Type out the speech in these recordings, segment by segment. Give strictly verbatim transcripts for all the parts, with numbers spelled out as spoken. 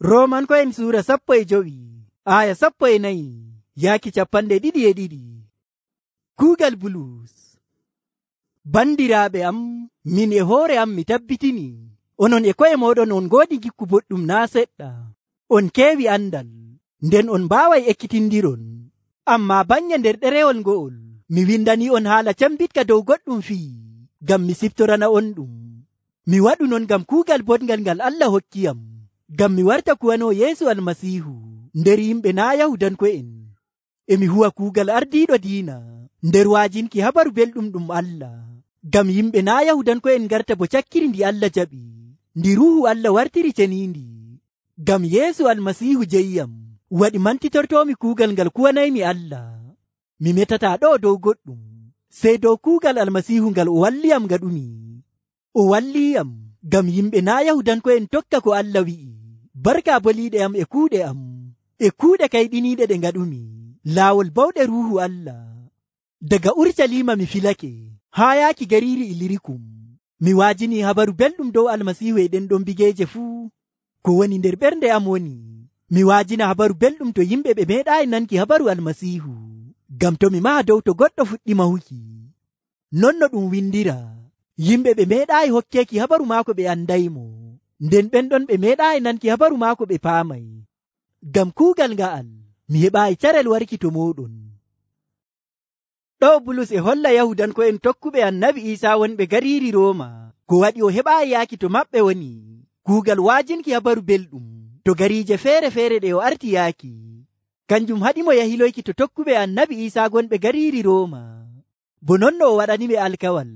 Roomanko'en suura sappo e jowi aya sappo e nayi yaaki capanɗe ɗiɗi e ɗiɗi. Kuugal Bulus. Bandiraaɓe am, min e hoore am mi tabbitini onon e ko'e mooɗon on ngoodi gikku boɗɗum naa seɗɗa. On keewi andal, nden on mbaaway ekkitindiron. Ammaa bannge nder ɗerewol ngo'ol mi windanii on haala cambitka dow goɗɗum fii, ngam mi siftorana on ɗum. Mi waɗu non ngam kuugal boɗngal ngal Allah hokkiyam, ngam mi warta kuwanoo Yeesu Almasiihu nder yimɓe naa Yahudanko'en. E mi huwa kuugal ardiiɗo diina nder wa'ajinki habaru belɗum ɗum Allah, ngam yimɓe naa Yahudanko'en garta bo cakkiri ndi Allah jaɓi, ndi Ruuhu Allah wartiri ceniindi. Ngam Yeesu Almasiihu jeyyam waɗi mantitortoomi kuugal ngal kuwanaymi Allah. Mi metataa ɗo dow goɗɗum, sey dow kuugal Almasiihu ngal o walliyam ngaɗumi. O walliyam ngam yimɓe naa Yahudanko'en tokka ko Allah wi'i, barka boliiɗe am e kuuɗe am, e kuuɗe kayɗiniiɗe ɗe ngaɗumi, laawol bawɗe Ruuhu Allah. Daga Urshalima mi filake haa yaaki gariiri Ilirikum. Mi waajini habaru belɗum dow Almasiihu e ɗen ɗon bigeeje fuu. Ko woni nder ɓernde am woni, mi waajina habaru belɗum to yimɓe ɓe meeɗaayi nanki habaru Almasiihu, ngam to mi maha dow to goɗɗo fuɗɗi mahuki. Non no ɗum windira, yimɓe ɓe meeɗaayi hokkeeki habaru maako ɓe andaymo, nden ɓen ɗon ɓe meeɗaayi nanki habaru maako ɓe paamay. Ngam kuugal nga'al mi heɓaayi carel warki to mooɗon. Ɗo Bulus e holla Yahudanko'en tokkuɓe Annabi Iisaa wonɓe gariiri Rooma ko waɗi o heɓaayi yaaki to maɓɓe woni kuugal waajinki habaru belɗum to gariije feere-feere ɗe o arti yaaki. Kanjum haɗimo yahiloyki to tokkuɓe Annabi Iisaa gonɓe gariiri Rooma, bo non no o waɗaniɓe alkawal.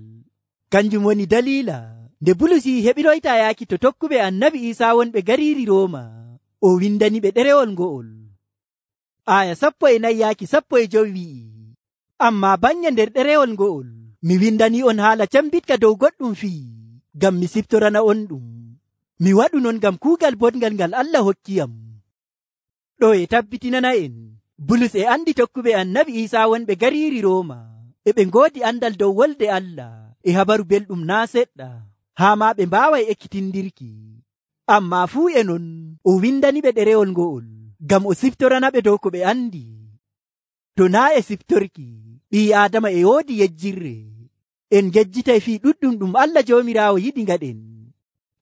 Kanjum woni daliila nde Bulus yi heɓiroyta yaaki to tokkuɓe Annabi Iisaa wonɓe gariiri Rooma, o windaniɓe ɗerewol ngo'ol. Aya sappo e nayi yaaki sappo e jowi wi'i, ammaa bannge nder ɗerewol ngo'ol mi windanii on haala cambitka dow goɗɗum fii, ngam mi siftorana on ɗum. Mi waɗu non ngam kuugal boɗngal ngal Allah hokkiyam. Ɗo e tabbitinana en Bulus e andi tokkuɓe Annabi Iisaa wonɓe gariiri Rooma e ɓe ngoodi andal dow wolde Allah e habaru belɗum naa seɗɗa, haa maa ɓe mbaaway ekkitindirki. Ammaa fuu e non o windaniɓe ɗerewol ngo'ol ngam o siftoranaɓe dow ko ɓe andi. To naa e siftorki, ɓii Aadama e woodi yejjirre. En jejjitay fii ɗuɗɗum ɗum Allah Joomiraawo yiɗi ngaɗen.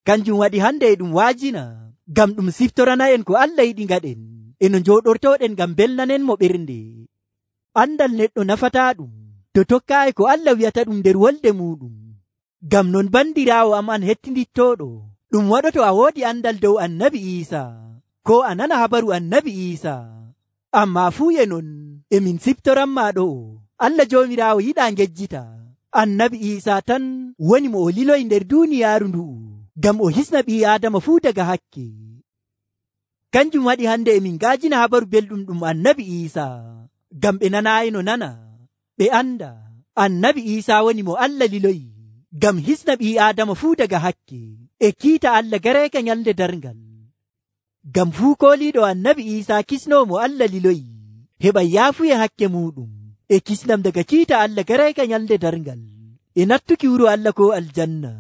Kanjum waɗi hande e ɗum waajina ngam ɗum siftorana en ko Allah yiɗi ngaɗen e no njooɗortooɗen ngam belnanenmo ɓernde. Andal neɗɗo nafataa ɗum to tokkaayi ko Allah wi'ata ɗum nder wolde muɗum. Ngam non bandiraawo am an hettindittooɗo, ɗum waɗoto a woodi andal dow Annabi Iisaa, ko a nana habaru Annabi Iisaa. Ammaa fuu e non e min siftoranmaa ɗo, Allah Joomiraawo yiɗaa ngejjita Annabi Iisaa tan woni mo o liloyi nder duuniyaaru ndu'u, ngam o hisna ɓii Aadama fuu daga hakke. Kanjum waɗi hande e min ngaajina habaru belɗum ɗum Annabi Iisaa, ngam ɓe nanaayi no nana, ɓe anda Annabi Iisaa woni mo Allah liloyi ngam hisna ɓii Aadama fuu daga hakke e kiita Allah gareeka nyalde darngal. Ngam fuu kooliiɗo Annabi Iisaa kisnoo mo Allah liloyi heɓa yaafuye hakke muɗum e kisnam daga kiita Allah gareeka nyalde darngal e nattuki wuro Allah ko aljanna.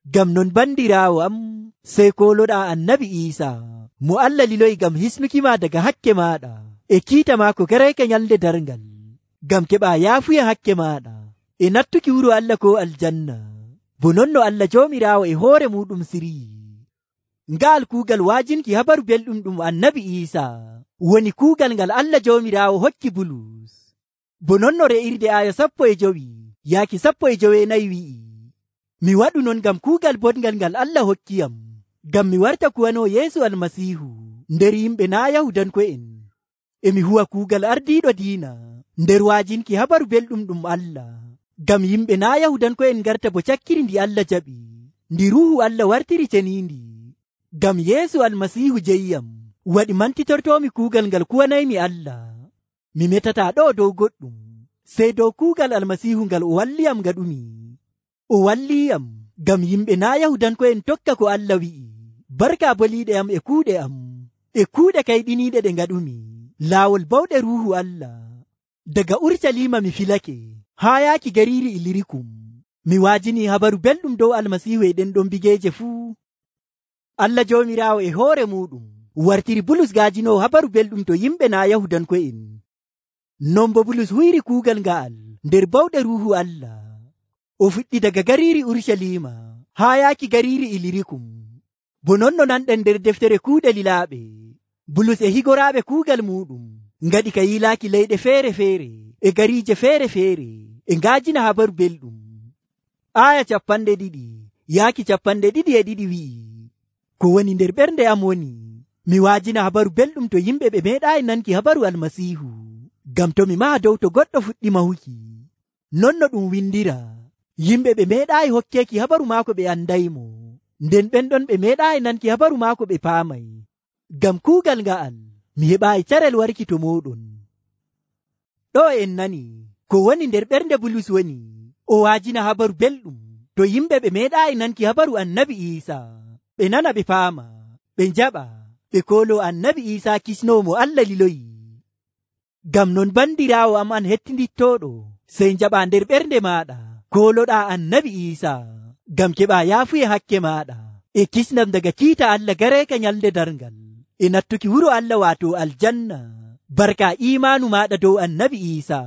Ngam non bandiraawo am, sey kooloɗaa Annabi Iisaa mo Allah liloyi ngam hisnuki ma daga hakke maaɗa e kiita maako gareeka nyalde darngal, ngam keɓaa yaafuye hakke maaɗa e nattuki wuro Allah ko aljanna, bo non no Allah Joomiraawo e hoore muɗum sirii. Ngaal kuugal waajinki habaru belɗum ɗum Annabi Iisaa woni kuugal ngal Allah Joomiraawo hokki Bulus. Bo non no re'irde aya sappo e jowi yaaki sappo e jowenayi wi'i, mi waɗu non ngam kuugal boɗngal ngal Allah hokkiyam, ngam mi warta kuwanoo Yeesu Almasiihu nder yimɓe naa Yahudanko'en. E mi huwa kuugal ardiiɗo diina nder waajinki habaru belɗum ɗum Allah, ngam yimɓe naa Yahudanko'en garta bo cakkiri ndi Allah jaɓi, ndi Ruuhu Allah wartiri ceniindi. Ngam Yeesu Almasiihu jeyyam waɗi mantitortoomi kuugal ngal kuwanaymi Allah. Mi metataa ɗo dow goɗɗum, sey dow kuugal Almasiihu ngal o walliyam ngaɗumi. O walliyam ngam yimɓe naa Yahudanko'en tokka ko Allah wi'i, barka boliiɗe am e kuuɗe am, e kuuɗe kayɗiniiɗe ɗe ngaɗumi, laawol bawɗe Ruuhu Allah. Daga Urshalima mi filake haa yaaki gariiri Ilirikum. Mi waajini habaru belɗum dow Almasiihu e ɗen ɗon bigeeje fuu. Allah Joomiraawo e hoore muɗum wartiri Bulus gaajinowo habaru belɗum to yimɓe naa Yahudanko'en. Non bo Bulus huyri kuugal nga'al nder bawɗe Ruuhu Allah. O fuɗɗi daga gariiri Urucaliima haa yaaki gariiri Ilirikum. Bo non no nanɗen nder deftere kuuɗe lilaaɓe, Bulus e higoraaɓe kuugal muɗum ngaɗi ka yilaaki leyɗe feere-feere e gariije feere-feere e ngaajina habaru belɗum. Aaya capanɗe ɗiɗi yaaki capanɗe ɗiɗi e ɗiɗi wi'i, ko woni nder ɓernde am woni, mi waajina habaru belɗum to yimɓe ɓe meeɗaayi nanki habaru Almasiihu, ngam to mi maha dow to goɗɗo fuɗɗi mahuki. Non no ɗum windira, yimɓe ɓe meeɗaayi hokkeeki habaru maako ɓe andaymo, nden ɓen ɗon ɓe meeɗaayi nanki habaru maako ɓe paamay. Ngam kuugal nga'al mi heɓaayi carel warki to mooɗon. Ɗo en nani ko woni nder ɓernde Bulus woni, o waajina habaru belɗum to yimɓe ɓe meeɗaayi nanki habaru Annabi Iisa, ɓe nana ɓe paama, ɓe njaɓa, ɓe koolo Annabi Iisa kisnowo mo Allah liloyi. Ngam non bandiraawo am an hettindittooɗo, sey njaɓa nder ɓernde maaɗa kooloɗaa Annabi Iisa, ngam keɓa yaafuye hakke maaɗa e kisnam daga kiita Allah gareeka nyalde darngal e nattuki wuro Allah waato aljanna, barka imaanu maaɗa dow Annabi Iisa.